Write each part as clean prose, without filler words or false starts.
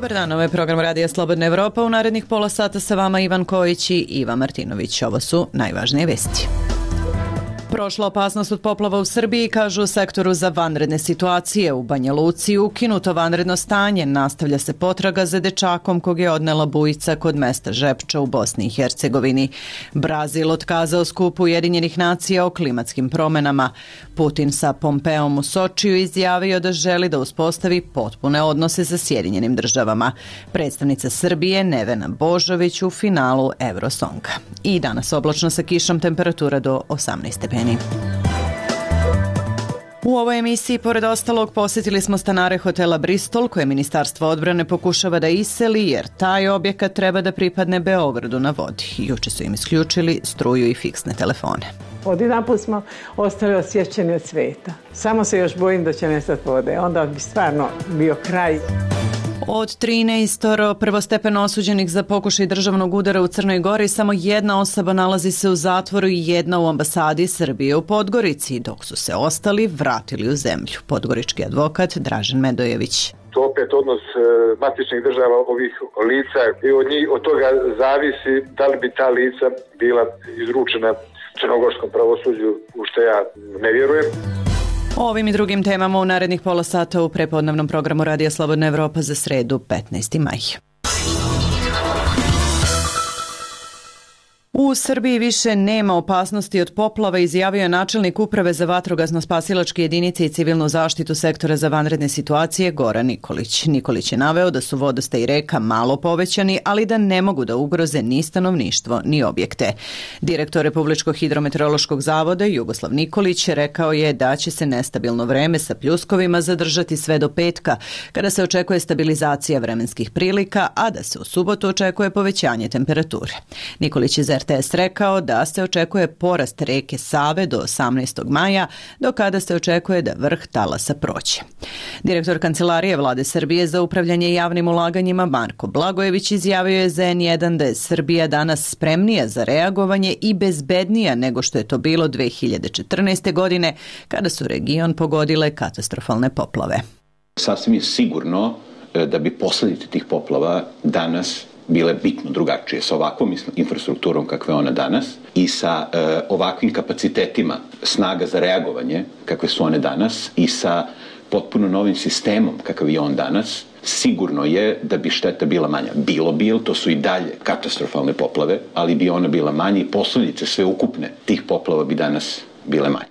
Dobar dan, ovo je program Radija Slobodna Evropa. U narednih pola sata sa vama Ivan Kojić i Iva Martinović. Ovo su najvažnije vesti. Prošla opasnost od poplava u Srbiji, kažu u sektoru za vanredne situacije. U Banja Luci ukinuto vanredno stanje. Nastavlja se potraga za dečakom kog je odnela bujica kod mesta Žepča u Bosni i Hercegovini. Brazil otkazao skup Ujedinjenih nacija o klimatskim promenama. Putin sa Pompeom u Sočiju izjavio da želi da uspostavi potpune odnose sa Sjedinjenim državama. Predstavnica Srbije Nevena Božović u finalu Eurosonga. I danas oblačno sa kišom, temperatura do 18 stepeni. U ovoj emisiji, pored ostalog, posjetili smo stanare hotela Bristol, koje Ministarstvo odbrane pokušava da iseli, jer taj objekat treba da pripadne Beogradu na vodi. Juče su im isključili struju i fiksne telefone. Odjedanput smo ostali osjećani od sveta. Samo se još bojim da će nestati vode. Onda bi stvarno bio kraj. Od 13 prvostepeno osuđenih za pokušaj državnog udara u Crnoj Gori, samo jedna osoba nalazi se u zatvoru i jedna u ambasadi Srbije u Podgorici, dok su se ostali vratili u zemlju. Podgorički advokat Dražen Medojević. To opet odnos matičnih država ovih lica i od toga zavisi da li bi ta lica bila izručena crnogorskom pravosuđu, u što ja ne vjerujem. O ovim i drugim temama u narednih pola sata u prepodnevnom programu Radija Slobodna Evropa za sredu 15. maj. U Srbiji više nema opasnosti od poplava, izjavio je načelnik Uprave za vatrogasno-spasilačke jedinice i civilnu zaštitu sektora za vanredne situacije Goran Nikolić. Nikolić je naveo da su vodostaj reka malo povećani, ali da ne mogu da ugroze ni stanovništvo ni objekte. Direktor Republičkog hidrometeorološkog zavoda Jugoslav Nikolić rekao je da će se nestabilno vreme sa pljuskovima zadržati sve do petka, kada se očekuje stabilizacija vremenskih prilika, a da se u subotu očekuje povećanje temperature. Nikolić je za RTS rekao da se očekuje porast reke Save do 18. maja, do kada se očekuje da vrh talasa prođe. Direktor Kancelarije Vlade Srbije za upravljanje javnim ulaganjima Marko Blagojević izjavio je za N1 da je Srbija danas spremnija za reagovanje i bezbednija nego što je to bilo 2014. godine, kada su region pogodile katastrofalne poplave. Sasvim je sigurno da bi posljedice tih poplava danas bile bitno drugačije sa ovakvom infrastrukturom kakva je ona danas i sa ovakvim kapacitetima snaga za reagovanje kakve su one danas i sa potpuno novim sistemom kakav je on danas. Sigurno je da bi šteta bila manja. Bilo bi, to su i dalje katastrofalne poplave, ali bi ona bila manja i posljedice sve ukupne tih poplava bi danas bile manje.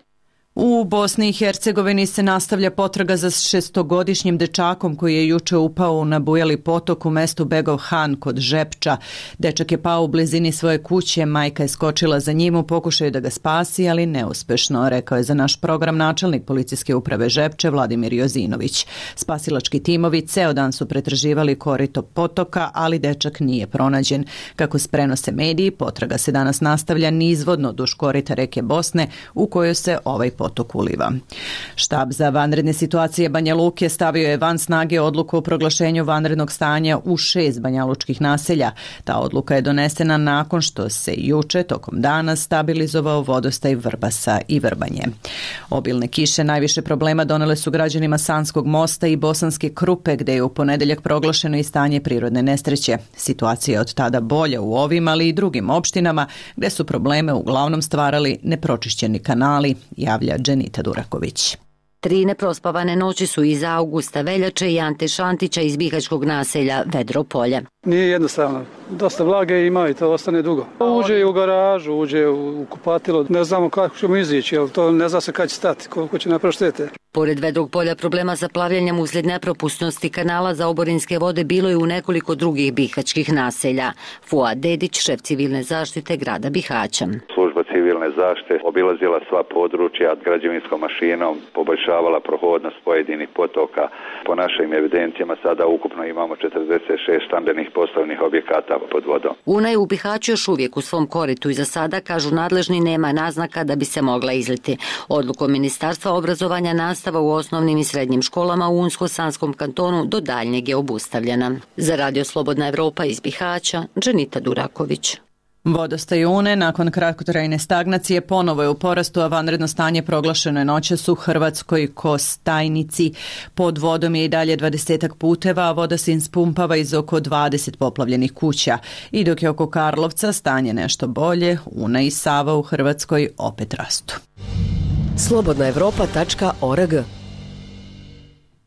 U Bosni i Hercegovini se nastavlja potraga za 6-godišnjim dečakom koji je juče upao na Bujali potok u mestu Begov Han kod Žepča. Dečak je pao u blizini svoje kuće, majka je skočila za njim u pokušaju da ga spasi, ali neuspešno, rekao je za naš program načelnik policijske uprave Žepče Vladimir Jozinović. Spasilački timovi ceo dan su pretraživali korito potoka, ali dečak nije pronađen. Kako prenose mediji, potraga se danas nastavlja nizvodno duž korita reke Bosne u kojoj se ovaj potok uliva. Štab za vanredne situacije Banja Luke stavio je van snage odluku o proglašenju vanrednog stanja u 6 banjalučkih naselja. Ta odluka je donesena nakon što se juče tokom dana stabilizovao vodostaj Vrbasa i Vrbanje. Obilne kiše najviše problema donele su građanima Sanskog mosta i Bosanske Krupe, gde je u ponedeljak proglašeno i stanje prirodne nesreće. Situacija je od tada bolja u ovim, ali i drugim opštinama, gde su probleme uglavnom stvarali nepročišćeni kanali, javlja Dženita Duraković. 3 neprospavane noći su iza Augusta Veljače i Ante Šantića iz bihaćkog naselja Vedropolje. Nije jednostavno. Dosta vlage ima i to ostane dugo. Uđe u garažu, uđe u kupatilo. Ne znamo kako ćemo izići, jer to ne zna se kad će stati, koliko će napraviti štete. Pored Vedrog polja problema sa plavljanjem uslijed nepropusnosti kanala za oborinske vode bilo je u nekoliko drugih bihaćkih naselja. Fuad Dedić, šef civilne zaštite grada Bihaća. Služba civilne zaštite obilazila sva područja građevinskom mašinom, poboljšavala prohodnost pojedinih potoka. Po našim evidencijama sada ukupno imamo 46 stambenih poslovnih objekata pod vodom. Una je u Bihaću još uvijek u svom koritu i za sada, kažu nadležni, nema naznaka da bi se mogla izliti. Odlukom Ministarstva obrazovanja nastava u osnovnim i srednjim školama u Unsko-Sanskom kantonu do daljnjeg je obustavljena. Za Radio Slobodna Evropa iz Bihaća, Dženita Duraković. Vodostaj Une nakon kratkotrajne stagnacije ponovo je u porastu, a vanredno stanje proglašeno je noćas u Hrvatskoj Kostajnici. Pod vodom je i dalje 20 puteva, a voda se ispumpava iz oko 20 poplavljenih kuća. I dok je oko Karlovca stanje nešto bolje, Una i Sava u Hrvatskoj opet rastu. Slobodnaevropa.org.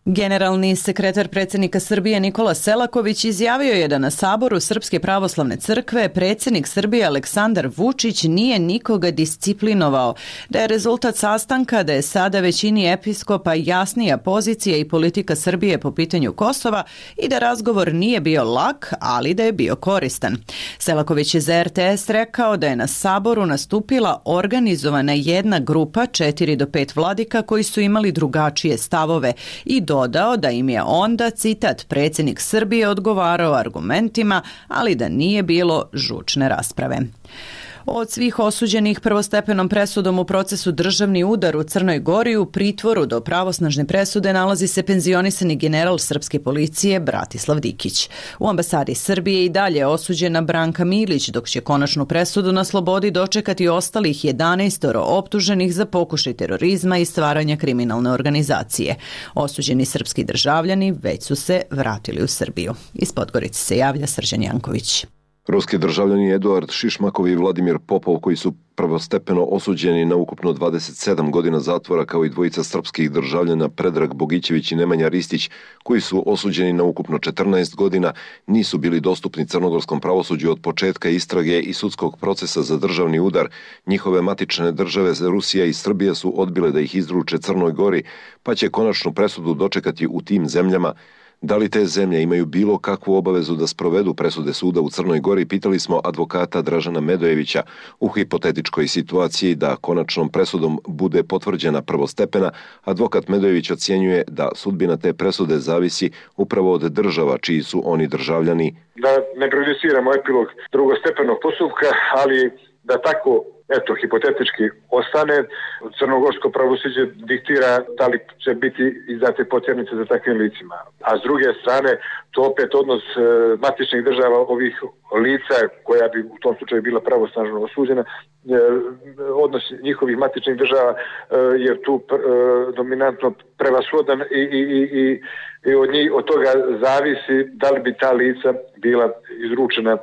Generalni sekretar predsjednika Srbije Nikola Selaković izjavio je da na saboru Srpske pravoslavne crkve predsjednik Srbije Aleksandar Vučić nije nikoga disciplinovao, da je rezultat sastanka da je sada većini episkopa jasnija pozicija i politika Srbije po pitanju Kosova i da razgovor nije bio lak, ali da je bio koristan. Selaković je za RTS rekao da je na saboru nastupila organizovana jedna grupa 4 do 5 vladika koji su imali drugačije stavove i dodao da im je onda, citat, predsjednik Srbije odgovarao argumentima, ali da nije bilo žučne rasprave. Od svih osuđenih prvostepenom presudom u procesu državni udar u Crnoj Gori u pritvoru do pravosnažne presude nalazi se penzionisani general srpske policije Bratislav Dikić. U ambasadi Srbije i dalje osuđena Branka Milić, dok će konačnu presudu na slobodi dočekati ostalih 11 optuženih za pokušaj terorizma i stvaranja kriminalne organizacije. Osuđeni srpski državljani već su se vratili u Srbiju. Iz Podgorice se javlja Srđan Janković. Ruski državljani Eduard Šišmakov i Vladimir Popov, koji su prvostepeno osuđeni na ukupno 27 godina zatvora, kao i dvojica srpskih državljana Predrag Bogićević i Nemanja Ristić, koji su osuđeni na ukupno 14 godina, nisu bili dostupni crnogorskom pravosuđu od početka istrage i sudskog procesa za državni udar. Njihove matične države Rusija i Srbija su odbile da ih izruče Crnoj Gori, pa će konačnu presudu dočekati u tim zemljama. Da li te zemlje imaju bilo kakvu obavezu da sprovedu presude suda u Crnoj Gori, pitali smo advokata Dražana Medojevića. U hipotetičkoj situaciji da konačnom presudom bude potvrđena prvostepena, advokat Medojević ocjenjuje da sudbina te presude zavisi upravo od država čiji su oni državljani. Da ne prejudiciramo epilog drugostepenog postupka, ali da tako hipotetički ostane, crnogorsko pravosuđe diktira da li će biti izdate potjernice za takvim licima. A s druge strane, to opet odnos matičnih država ovih lica, koja bi u tom slučaju bila pravosnažno osuđena, odnos njihovih matičnih država je tu dominantno prevashodan i od toga zavisi da li bi ta lica bila izručena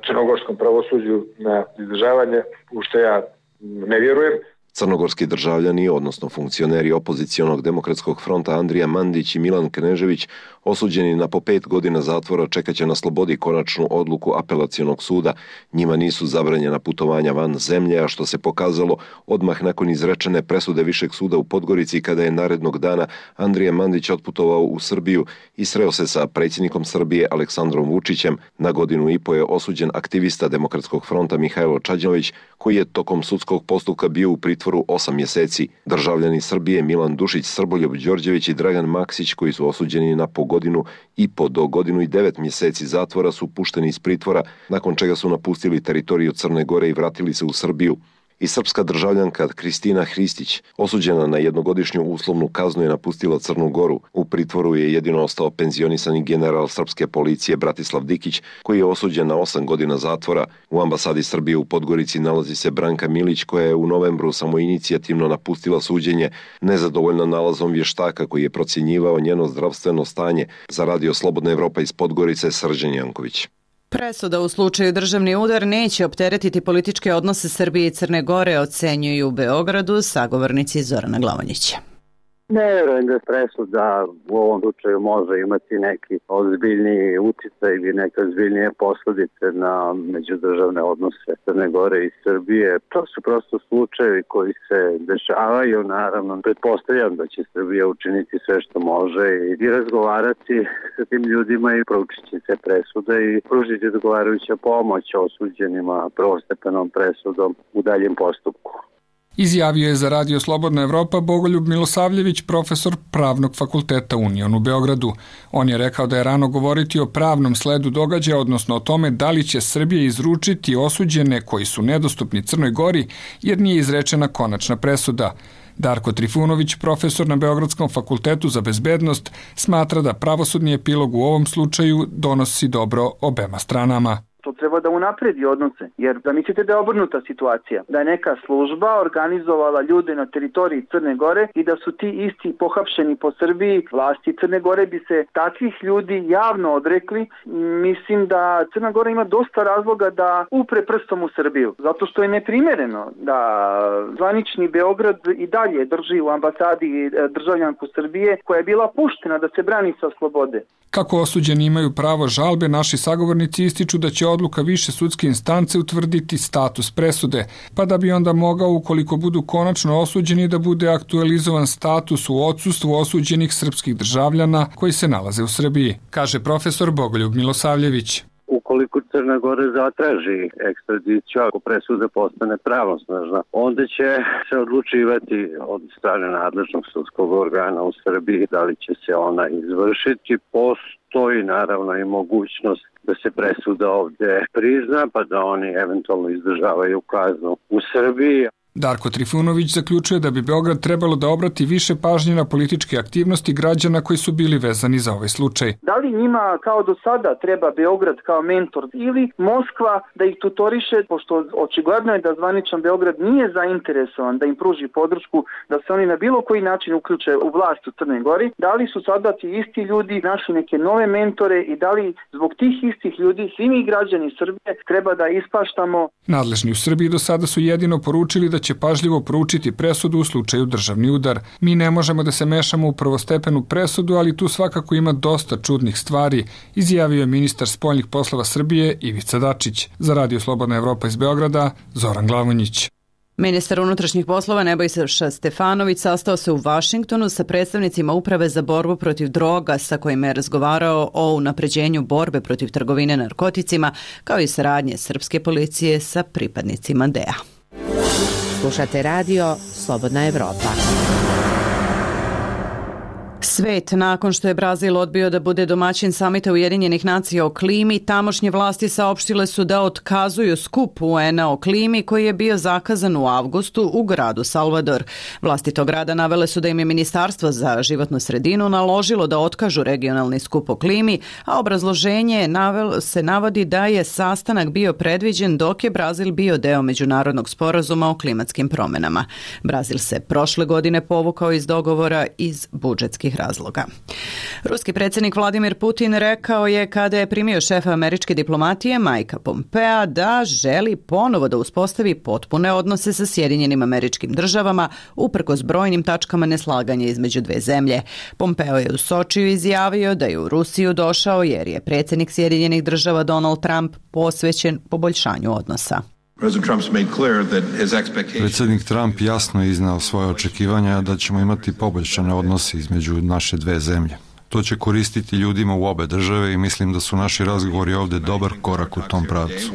crnogorskom pravosuđu na izdržavanje, u što ja ne vjerujem. Crnogorski državljani, odnosno funkcioneri opozicionog demokratskog fronta Andrija Mandić i Milan Knežević, osuđeni na po 5 godina zatvora, čekaće na slobodi konačnu odluku apelacionog suda. Njima nisu zabranjena putovanja van zemlje, a što se pokazalo odmah nakon izrečene presude Višeg suda u Podgorici, kada je narednog dana Andrija Mandić otputovao u Srbiju i sreo se sa predsjednikom Srbije Aleksandrom Vučićem. Na 1,5 godine je osuđen aktivista Demokratskog fronta Mihajlo Čađanović, koji je tokom sudskog postupka bio u pritvoru 8 mjeseci. Državljani Srbije Milan Dušić, Srboljub Đorđević i Dragan Maksić, koji su osuđeni na po 1,5 do 1 godinu i 9 mjeseci zatvora, su pušteni iz pritvora, nakon čega su napustili teritoriju Crne Gore i vratili se u Srbiju. I srpska državljanka Kristina Hristić, osuđena na 1-godišnju uslovnu kaznu, je napustila Crnu Goru. U pritvoru je jedino ostao penzionisani general srpske policije Bratislav Dikić, koji je osuđen na 8 godina zatvora. U ambasadi Srbije u Podgorici nalazi se Branka Milić, koja je u novembru samoinicijativno napustila suđenje, nezadovoljna nalazom vještaka koji je procjenjivao njeno zdravstveno stanje. Za Radio Slobodna Evropa iz Podgorice, Srđan Janković. Presuda u slučaju državni udar neće opteretiti političke odnose Srbije i Crne Gore, ocenjuju u Beogradu sagovornici Zorana Glavonjića. Ne vjerujem da presuda u ovom slučaju može imati neki ozbiljniji uticaj ili neke ozbiljnije posljedice na međudržavne odnose Crne Gore i Srbije. To su prosto slučajevi koji se dešavaju. Naravno, pretpostavljam da će Srbija učiniti sve što može i razgovarati sa tim ljudima i proučiti se presude i pružiti odgovarajuća pomoć osuđenima prvostepenom presudom u daljem postupku. Izjavio je za Radio Slobodna Evropa Bogoljub Milosavljević, profesor Pravnog fakulteta Union u Beogradu. On je rekao da je rano govoriti o pravnom sledu događaja, odnosno o tome da li će Srbija izručiti osuđene koji su nedostupni Crnoj Gori, jer nije izrečena konačna presuda. Darko Trifunović, profesor na Beogradskom fakultetu za bezbednost, smatra da pravosudni epilog u ovom slučaju donosi dobro obema stranama. To treba da unapredi odnose. Jer zamislite da je obrnuta situacija, da je neka služba organizovala ljude na teritoriji Crne Gore i da su ti isti pohapšeni po Srbiji, vlasti Crne Gore bi se takvih ljudi javno odrekli. Mislim da Crna Gora ima dosta razloga da upre prstom u Srbiju, zato što je neprimereno da zvanični Beograd i dalje drži u ambasadi državljanku Srbije koja je bila puštena da se brani sa slobode. Kako osuđeni imaju pravo žalbe, naši sagovornici ističu da će odluka više sudske instance utvrditi status presude, pa da bi onda mogao, ukoliko budu konačno osuđeni, da bude aktualizovan status u odsustvu osuđenih srpskih državljana koji se nalaze u Srbiji, kaže profesor Bogoljub Milosavljević. Ukoliko Crna Gora zatraži ekstradiciju, ako presuda postane pravosnažna, onda će se odlučivati od strane nadležnog sudskog organa u Srbiji da li će se ona izvršiti. Postoji naravno i mogućnost da se presuda ovde prizna, pa da oni eventualno izdržavaju kaznu u Srbiji. Darko Trifunović zaključuje da bi Beograd trebalo da obrati više pažnje na političke aktivnosti građana koji su bili vezani za ovaj slučaj. Da li njima kao do sada treba Beograd kao mentor ili Moskva da ih tutoriše, pošto očigledno je da zvaničan Beograd nije zainteresovan da im pruži podršku, da se oni na bilo koji način uključe u vlast u Crnoj Gori, da li su sada ti isti ljudi našli neke nove mentore i da li zbog tih istih ljudi svi mi građani Srbije treba da ispaštamo. Nadležni u Srbiji do sada su jedino poručili da će pažljivo proučiti presudu u slučaju državni udar. Mi ne možemo da se mešamo u prvostepenu presudu, ali tu svakako ima dosta čudnih stvari, izjavio je ministar spoljnih poslova Srbije Ivica Dačić. Za Radio Slobodna Evropa iz Beograda, Zoran Glavonjić. Ministar unutrašnjih poslova Nebojša Stefanović sastao se u Vašingtonu sa predstavnicima Uprave za borbu protiv droga sa kojima je razgovarao o unapređenju borbe protiv trgovine narkoticima, kao i saradnje srpske policije sa pripadnicima DEA. Slušate radio Slobodna Evropa. Svet, nakon što je Brazil odbio da bude domaćin samita Ujedinjenih nacija o klimi, tamošnje vlasti saopštile su da otkazuju skup UN-a o klimi koji je bio zakazan u avgustu u gradu Salvador. Vlasti tog grada navele su da im je Ministarstvo za životnu sredinu naložilo da otkažu regionalni skup o klimi, a obrazloženje se navodi da je sastanak bio predviđen dok je Brazil bio deo međunarodnog sporazuma o klimatskim promenama. Brazil se prošle godine povukao iz dogovora iz budžetskih razloga. Ruski predsjednik Vladimir Putin rekao je kada je primio šefa američke diplomatije Mikea Pompea da želi ponovo da uspostavi potpune odnose sa Sjedinjenim Američkim Državama uprkos brojnim tačkama neslaganja između dve zemlje. Pompeo je u Sočiju izjavio da je u Rusiju došao jer je predsjednik Sjedinjenih Država Donald Trump posvećen poboljšanju odnosa. Predsjednik Trump jasno je iznao svoje očekivanja da ćemo imati poboljšane odnose između naše dve zemlje. To će koristiti ljudima u obe države i mislim da su naši razgovori ovdje dobar korak u tom pravcu.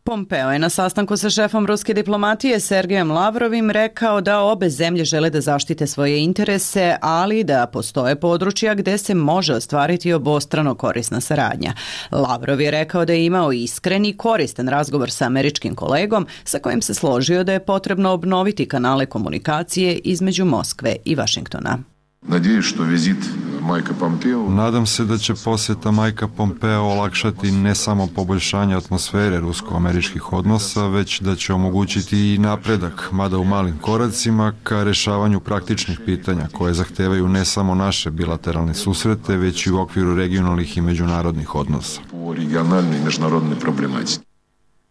Pompeo je na sastanku sa šefom ruske diplomatije Sergejem Lavrovim rekao da obe zemlje žele da zaštite svoje interese, ali da postoje područja gde se može ostvariti obostrano korisna saradnja. Lavrov je rekao da je imao iskren i koristan razgovor sa američkim kolegom sa kojim se složio da je potrebno obnoviti kanale komunikacije između Moskve i Vašingtona. Nadam se da će posjeta Mikea Pompea olakšati ne samo poboljšanje atmosfere rusko-američkih odnosa, već da će omogućiti i napredak, mada u malim koracima, ka rešavanju praktičnih pitanja koje zahtevaju ne samo naše bilateralne susrete, već i u okviru regionalnih i međunarodnih odnosa.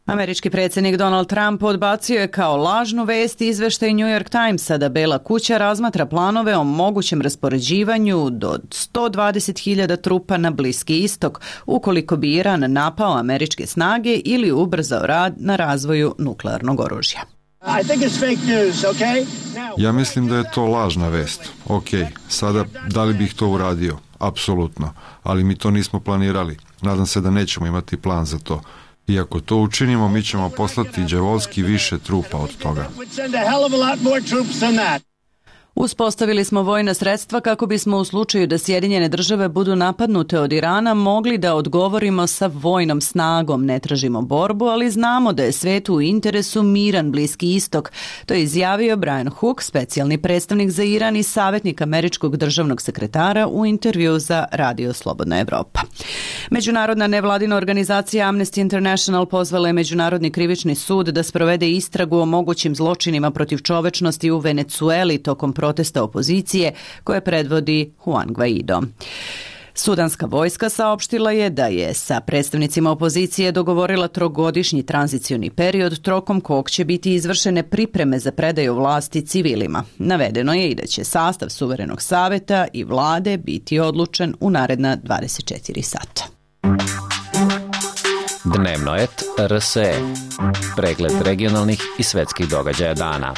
Američki predsjednik Donald Trump odbacio je kao lažnu vest izveštaj New York Timesa da Bela kuća razmatra planove o mogućem raspoređivanju do 120.000 trupa na Bliski istok ukoliko bi Iran napao američke snage ili ubrzao rad na razvoju nuklearnog oružja. Ja mislim da je to lažna vest. Ok, sada da li bih to uradio? Apsolutno, ali mi to nismo planirali. Nadam se da nećemo imati plan za to. I ako to učinimo, mi ćemo poslati đavolski više trupa od toga. Uspostavili smo vojna sredstva kako bismo u slučaju da Sjedinjene države budu napadnute od Irana mogli da odgovorimo sa vojnom snagom. Ne tražimo borbu, ali znamo da je svetu u interesu miran Bliski istok. To je izjavio Brian Hook, specijalni predstavnik za Iran i savjetnik američkog državnog sekretara u intervju za Radio Slobodna Evropa. Međunarodna nevladina organizacija Amnesty International pozvala je Međunarodni krivični sud da sprovede istragu o mogućim zločinima protiv čovečnosti u Venecueli tokom protesta opozicije koje predvodi Juan Guaido. Sudanska vojska saopštila je da je sa predstavnicima opozicije dogovorila trogodišnji tranzicioni period tokom kog će biti izvršene pripreme za predaju vlasti civilima. Navedeno je i da će sastav suverenog saveta i vlade biti odlučen u naredna 24 sata. Dnevnoet RSE. Pregled regionalnih i svetskih događaja dana.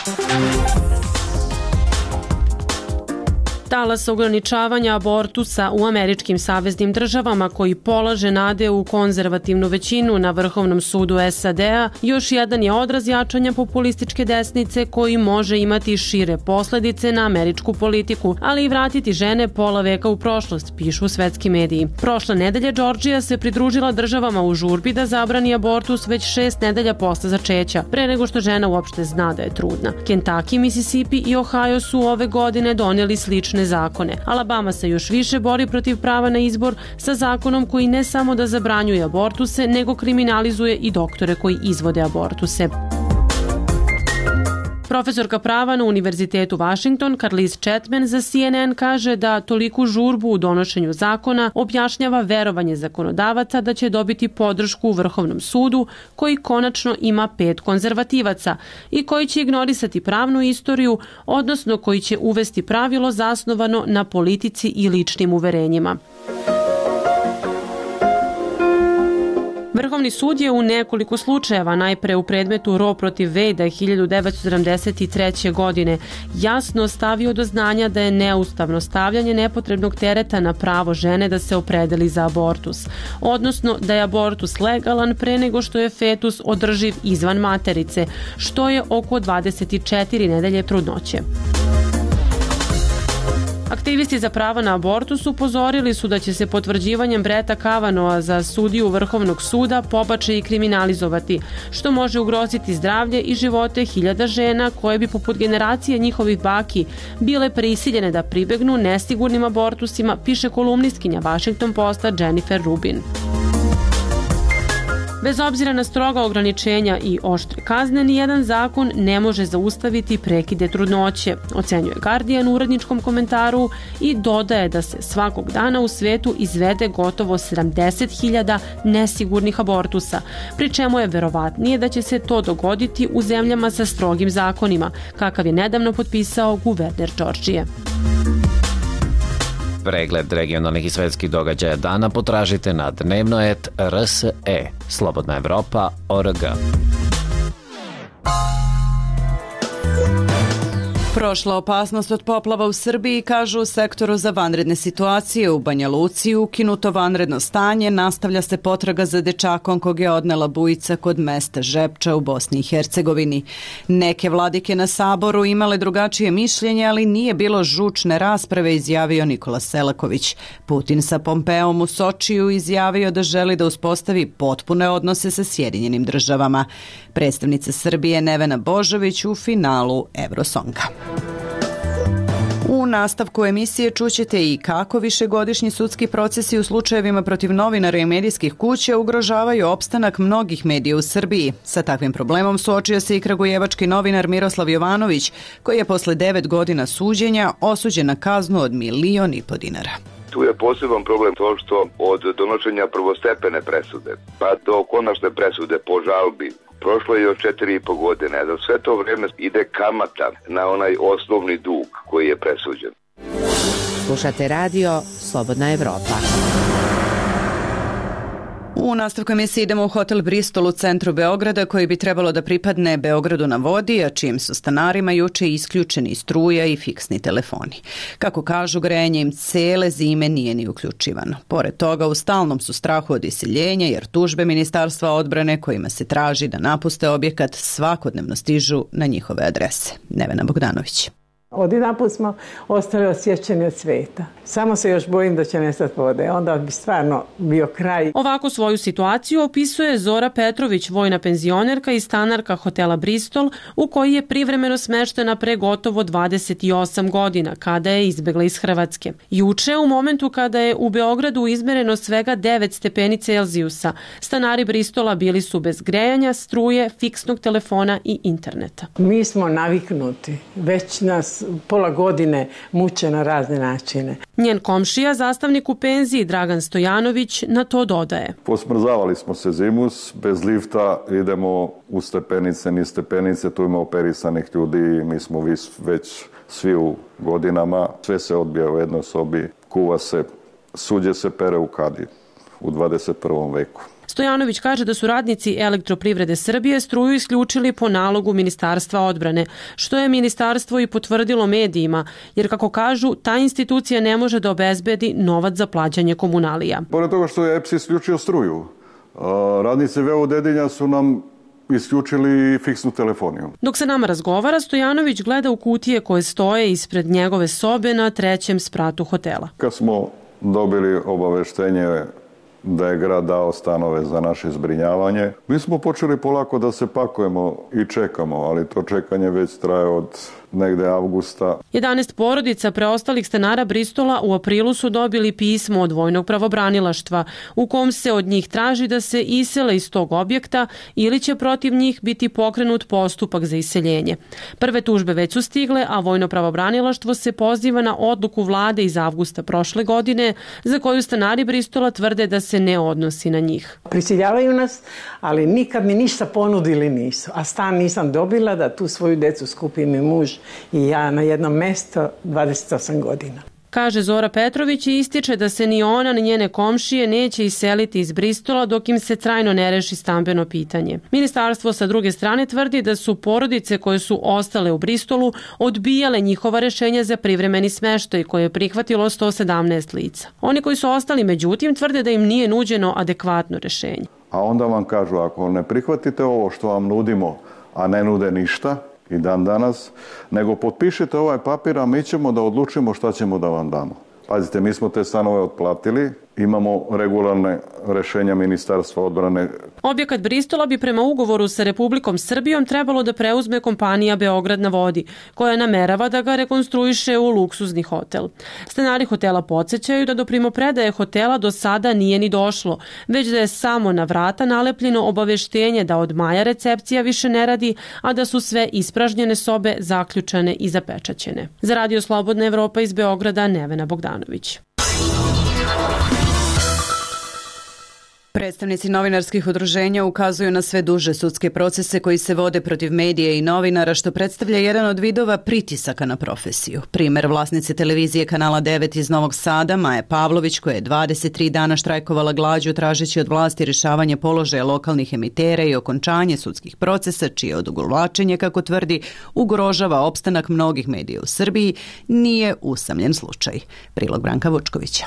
Talas ograničavanja abortusa u američkim saveznim državama koji polaže nade u konzervativnu većinu na Vrhovnom sudu SAD-a još jedan je odraz jačanja populističke desnice koji može imati šire posledice na američku politiku, ali i vratiti žene pola veka u prošlost, pišu svetski mediji. Prošle nedelje Georgija se pridružila državama u žurbi da zabrani abortus već 6 nedelja posle začeća, pre nego što žena uopšte zna da je trudna. Kentucky, Mississippi i Ohio su ove godine donijeli slične zakone. Alabama se još više bori protiv prava na izbor sa zakonom koji ne samo da zabranjuje abortuse, nego kriminalizuje i doktore koji izvode abortuse. Profesorka prava na Univerzitetu Washington, Carlise Chapman, za CNN kaže da toliku žurbu u donošenju zakona objašnjava verovanje zakonodavaca da će dobiti podršku u Vrhovnom sudu, koji konačno ima 5 konzervativaca i koji će ignorisati pravnu istoriju, odnosno koji će uvesti pravilo zasnovano na politici i ličnim uverenjima. Vrhovni sud je u nekoliko slučajeva, najpre u predmetu Roe protiv Wade 1973. godine, jasno stavio do znanja da je neustavno stavljanje nepotrebnog tereta na pravo žene da se opredeli za abortus, odnosno da je abortus legalan pre nego što je fetus održiv izvan materice, što je oko 24 nedelje trudnoće. Aktivisti za prava na abortus upozorili su da će se potvrđivanjem Bretta Kavanagha za sudiju Vrhovnog suda pobačaj i kriminalizovati, što može ugroziti zdravlje i živote hiljada žena koje bi poput generacije njihovih baki bile prisiljene da pribegnu nesigurnim abortusima, piše kolumnistkinja Washington Posta Jennifer Rubin. Bez obzira na stroga ograničenja i oštre kazne, nijedan zakon ne može zaustaviti prekide trudnoće, ocenjuje Guardian u uredničkom komentaru i dodaje da se svakog dana u svetu izvede gotovo 70.000 nesigurnih abortusa, pri čemu je verovatnije da će se to dogoditi u zemljama sa strogim zakonima, kakav je nedavno potpisao guverner Georgije. Pregled regionalnih i svetskih događaja dana potražite na Dnevnoet RSE, Slobodna Evropa.org. Prošla opasnost od poplava u Srbiji, kažu u sektoru za vanredne situacije u Banja Luci, ukinuto vanredno stanje, nastavlja se potraga za dečakom kog je odnela bujica kod mesta Žepča u Bosni i Hercegovini. Neke vladike na Saboru imale drugačije mišljenje, ali nije bilo žučne rasprave, izjavio Nikola Selaković. Putin sa Pompeom u Sočiju izjavio da želi da uspostavi potpune odnose sa Sjedinjenim državama. Predstavnica Srbije Nevena Božović u finalu Eurosonga. U nastavku emisije čućete i kako višegodišnji sudski procesi u slučajevima protiv novinara i medijskih kuća ugrožavaju opstanak mnogih medija u Srbiji. Sa takvim problemom suočio se i kragujevački novinar Miroslav Jovanović, koji je posle 9 godina suđenja osuđen na kaznu od 1,5 miliona dinara. Tu je poseban problem to što od donošenja prvostepene presude pa do konačne presude po žalbi prošlo je još 4,5 godine, a za sve to vreme ide kamata na onaj osnovni dug koji je presuđen. Slušate radio Slobodna Evropa. U nastavku emisije idemo u hotel Bristol u centru Beograda, koji bi trebalo da pripadne Beogradu na vodi, a čijim su stanarima juče isključeni struja i fiksni telefoni. Kako kažu, grejanje im cele zime nije ni uključivano. Pored toga, u stalnom su strahu od iseljenja, jer tužbe Ministarstva odbrane kojima se traži da napuste objekat svakodnevno stižu na njihove adrese. Nevena Bogdanović. Odjedanput smo ostali osjećani od sveta. Samo se još bojim da će nestati vode. Onda bi stvarno bio kraj. Ovako svoju situaciju opisuje Zora Petrović, vojna penzionerka i stanarka hotela Bristol, u koji je privremeno smeštena pre gotovo 28 godina, kada je izbegla iz Hrvatske. Juče, u momentu kada je u Beogradu izmereno svega 9 stepeni Celzijusa, stanari Bristola bili su bez grejanja, struje, fiksnog telefona i interneta. Mi smo naviknuti. Već nas pola godine muče na razne načine. Njen komšija, zastavnik u penziji Dragan Stojanović, na to dodaje. Posmrzavali smo se zimus, bez lifta idemo u stepenice, niz stepenice, tu ima operisanih ljudi, mi smo već svi u godinama, sve se odbija u jednoj sobi, kuva se, suđe se pere u kadi u 21. veku. Stojanović kaže da su radnici Elektroprivrede Srbije struju isključili po nalogu Ministarstva odbrane, što je ministarstvo i potvrdilo medijima, jer kako kažu, ta institucija ne može da obezbedi novac za plaćanje komunalija. Pored toga što je EPS isključio struju, radnici VO Dedinja su nam isključili fiksnu telefoniju. Dok se nama razgovara, Stojanović gleda u kutije koje stoje ispred njegove sobe na 3. spratu hotela. Kad smo dobili obaveštenje da je grad dao stanove za naše zbrinjavanje, mi smo počeli polako da se pakujemo i čekamo, ali to čekanje već traje od negde avgusta. 11 porodica preostalih stanara Bristola u aprilu su dobili pismo od vojnog pravobranilaštva u kom se od njih traži da se isele iz tog objekta ili će protiv njih biti pokrenut postupak za iseljenje. Prve tužbe već su stigle, a vojno pravobranilaštvo se poziva na odluku vlade iz avgusta prošle godine, za koju stanari Bristola tvrde da se ne odnosi na njih. Prisiljavaju nas, ali nikad mi ništa ponudili nisu. A stan nisam dobila da tu svoju decu skupim i muž i ja na jedno mesto 28 godina. Kaže Zora Petrović i ističe da se ni ona ni njene komšije neće iseliti iz Bristola dok im se trajno ne reši stambeno pitanje. Ministarstvo sa druge strane tvrdi da su porodice koje su ostale u Bristolu odbijale njihova rešenja za privremeni smeštaj koje je prihvatilo 117 lica. Oni koji su ostali međutim tvrde da im nije nuđeno adekvatno rešenje. A onda vam kažu, ako ne prihvatite ovo što vam nudimo, a ne nude ništa, i dan danas, nego potpišite ovaj papir, a mi ćemo da odlučimo šta ćemo da vam damo. Pazite, mi smo te stanove otplatili, imamo regularne rešenja Ministarstva odbrane. Objekat Bristola bi prema ugovoru sa Republikom Srbijom trebalo da preuzme kompanija Beograd na vodi, koja namerava da ga rekonstruiše u luksuzni hotel. Stanari hotela podsjećaju da do primopredaje hotela do sada nije ni došlo, već da je samo na vrata nalepljeno obaveštenje da od maja recepcija više ne radi, a da su sve ispražnjene sobe zaključane i zapečaćene. Za Radio Slobodna Evropa iz Beograda, Nevena Bogdanović. Predstavnici novinarskih udruženja ukazuju na sve duže sudske procese koji se vode protiv medija i novinara, što predstavlja jedan od vidova pritisaka na profesiju. Primer vlasnice televizije Kanala 9 iz Novog Sada, Maje Pavlović, koja je 23 dana štrajkovala glađu tražeći od vlasti rješavanje položaja lokalnih emitera i okončanje sudskih procesa, čije odugovlačenje, kako tvrdi, ugrožava opstanak mnogih medija u Srbiji, nije usamljen slučaj. Prilog Branka Vučkovića.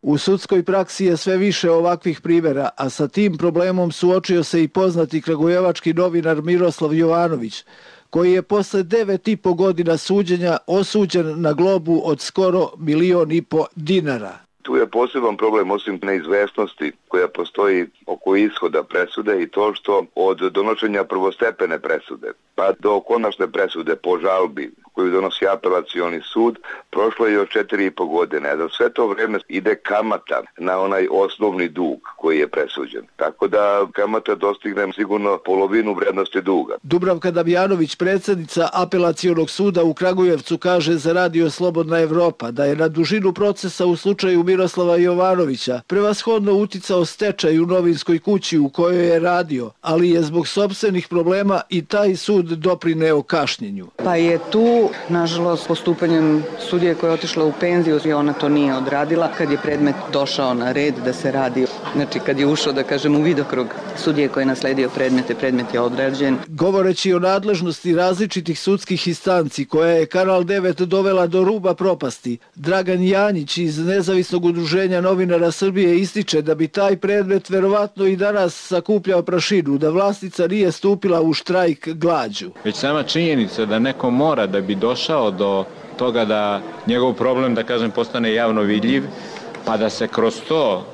U sudskoj praksi je sve više ovakvih primjera, a sa tim problemom suočio se i poznati kragujevački novinar Miroslav Jovanović, koji je posle 9,5 godina suđenja osuđen na globu od skoro 1,5 miliona dinara. Tu je poseban problem, osim neizvesnosti koja postoji oko ishoda presude, i to što od donošenja prvostepene presude pa do konačne presude po žalbi koju donosi apelacioni sud, prošlo je još 4,5 godine. Za sve to vreme ide kamata na onaj osnovni dug koji je presuđen. Tako da kamata dostigne sigurno polovinu vrednosti duga. Dubravka Damjanović, predsjednica apelacionog suda u Kragujevcu, kaže za Radio Slobodna Evropa da je na dužinu procesa u slučaju Miroslava Jovanovića prevashodno uticao stečaj u novinskoj kući u kojoj je radio, ali je zbog sopstvenih problema i taj sud doprineo kašnjenju. Pa je tu, nažalost, postupanjem sudije koja je otišla u penziju i ona to nije odradila. Kad je predmet došao na red da se radi Znači kad je ušao, da kažem, u vidokrug sudije koji je nasledio predmet je odrađen. Govoreći o nadležnosti različitih sudskih instanci koja je Kanal 9 dovela do ruba propasti, Dragan Janjić iz Nezavisnog udruženja novinara Srbije ističe da bi taj predmet verovatno i danas sakupljao prašinu, da vlasnica nije stupila u štrajk glađu. Već sama činjenica da neko mora da bi došao do toga da njegov problem, da kažem, postane javno vidljiv, pa da se kroz to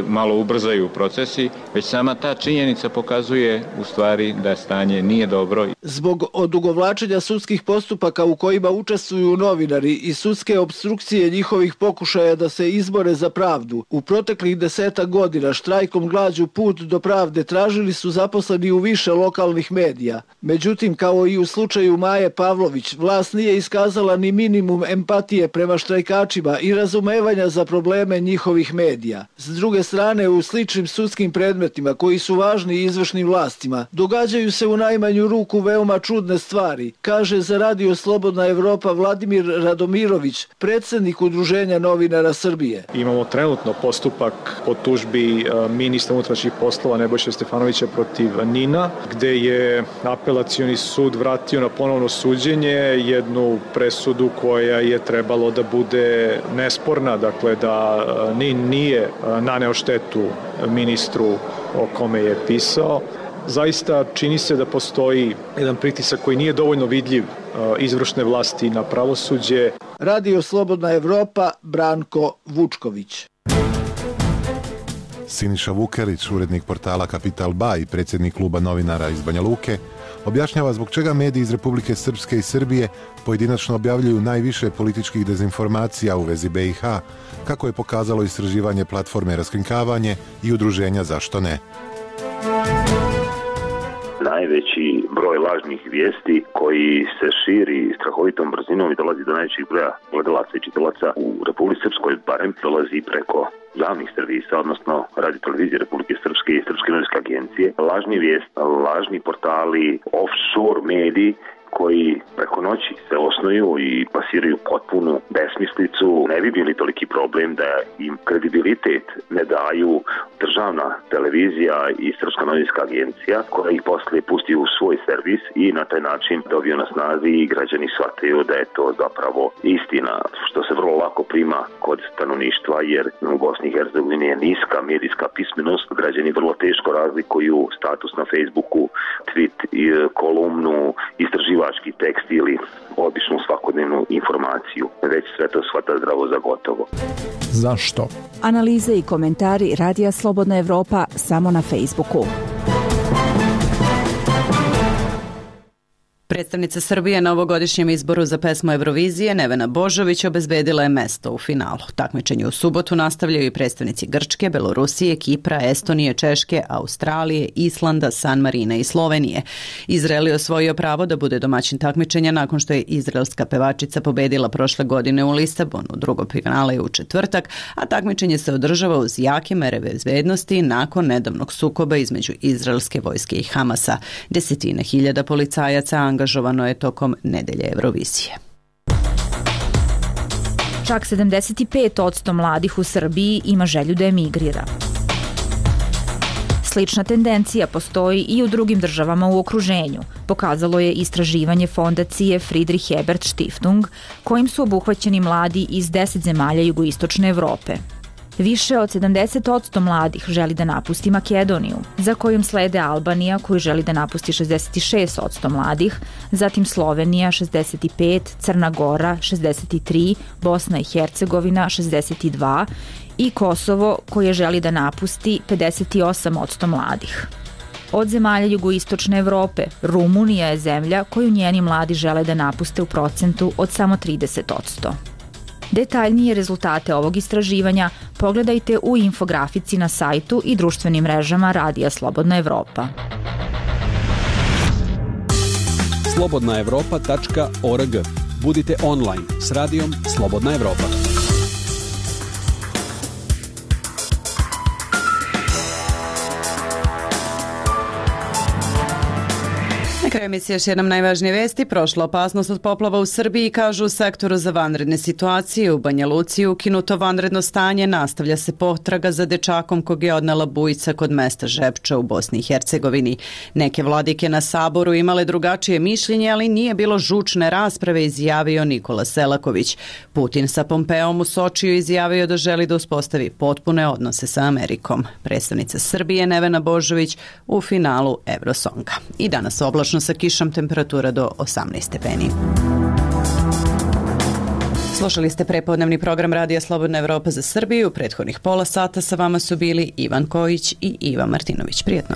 malo ubrzaju procesi, već sama ta činjenica pokazuje u stvari da stanje nije dobro. Zbog odugovlačenja sudskih postupaka u kojima učestvuju novinari i sudske opstrukcije njihovih pokušaja da se izbore za pravdu, u proteklih 10 godina štrajkom glađu put do pravde tražili su zaposleni u više lokalnih medija. Međutim, kao i u slučaju Maje Pavlović, vlast nije iskazala ni minimum empatije prema štrajkačima i razumevanja za probleme njihovih medija. S druge strane, u sličnim sudskim predmetima koji su važni izvršnim vlastima, događaju se u najmanju ruku veoma čudne stvari, kaže za Radio Slobodna Evropa Vladimir Radomirović, predsjednik Udruženja novinara Srbije. Imamo trenutno postupak po tužbi ministra unutrašnjih poslova Nebojše Stefanovića protiv NIN-a, gde je apelacioni sud vratio na ponovno suđenje jednu presudu koja je trebalo da bude nesporna, dakle da NIN nije naneo štetu ministru o kome je pisao. Zaista čini se da postoji jedan pritisak koji nije dovoljno vidljiv izvršne vlasti na pravosuđe. Radio Slobodna Evropa, Branko Vučković. Siniša Vukelić, urednik portala Kapital Ba i predsjednik kluba novinara iz Banja Luke, objašnjava zbog čega mediji iz Republike Srpske i Srbije pojedinačno objavljuju najviše političkih dezinformacija u vezi BiH, kako je pokazalo istraživanje platforme Raskrinkavanje i udruženja Zašto ne. Najveći broj lažnih vijesti koji se širi strahovitom brzinom i dolazi do najvećih broja gledalaca i čitalaca u Republici Srpskoj, barem dolazi preko javnih servisa, odnosno Radio televizije Republike Srpske i Srpske novinske agencije. Lažni vijest, lažni portali, offshore mediji koji preko noći se osnuju i pasiraju potpunu besmislicu, ne bi bili toliki problem da im kredibilitet ne daju državna televizija i Srpska novinska agencija, koja ih poslije pusti u svoj servis i na taj način dobiju na snazi i građani shvataju da je to zapravo istina, što se vrlo lako prima kod stanovništva, jer u Bosni i Hercegovini je niska medijska pismenost, građani vrlo teško razlikuju status na Facebooku, tweet, kolumnu, istraživački tekst ili običnu svakodnevnu informaciju. Već sve to shvata zdravo za gotovo. Zašto? Analize i komentari Radija Slobodna Evropa samo na Facebooku. Predstavnica Srbije na ovogodišnjem izboru za pesmu Eurovizije Nevena Božović obezbedila je mesto u finalu. Takmičenje u subotu nastavljaju i predstavnici Grčke, Belorusije, Kipra, Estonije, Češke, Australije, Islanda, San Marina i Slovenije. Izrael je osvojio pravo da bude domaćin takmičenja nakon što je izraelska pevačica pobedila prošle godine u Lisabonu. Drugo finale je u četvrtak, a takmičenje se održava uz jake mere bezbednosti nakon nedavnog sukoba između izraelske vojske i Hamasa. Desetine hiljada policajaca angažovano je tokom nedelje Eurovizije. Čak 75% mladih u Srbiji ima želju da emigrira. Slična tendencija postoji i u drugim državama u okruženju, pokazalo je istraživanje fondacije Friedrich Ebert Stiftung, kojim su obuhvaćeni mladi iz 10 zemalja jugoistočne Evrope. Više od 70% mladih želi da napusti Makedoniju, za kojom slede Albanija koji želi da napusti 66% mladih, zatim Slovenija 65%, Crna Gora 63%, Bosna i Hercegovina 62% i Kosovo koje želi da napusti 58% mladih. Od zemalja jugoistočne Evrope, Rumunija je zemlja koju njeni mladi žele da napuste u procentu od samo 30%. Detaljnije rezultate ovog istraživanja pogledajte u infografici na sajtu i društvenim mrežama Radija Slobodna Evropa. slobodnaevropa.org. Budite online s Radijom Slobodna Evropa. Na kraju emisije još jednom najvažnije vesti. Prošla opasnost od poplava u Srbiji, kažu u sektoru za vanredne situacije. U Banja Luci ukinuto vanredno stanje, nastavlja se potraga za dečakom kog je odnela bujica kod mesta Žepča u Bosni i Hercegovini. Neke vladike na Saboru imale drugačije mišljenje, ali nije bilo žučne rasprave, izjavio Nikola Selaković. Putin sa Pompeom u Sočiju izjavio da želi da uspostavi potpune odnose sa Amerikom. Predstavnica Srbije Nevena Božović u finalu Eurosonga. I danas oblačno sa kišom, temperatura do 18 stepeni. Slušali ste prepodnevni program Radija Slobodna Evropa za Srbiju. U prethodnih pola sata sa vama su bili Ivan Kojić i Iva Martinović. Prijetno.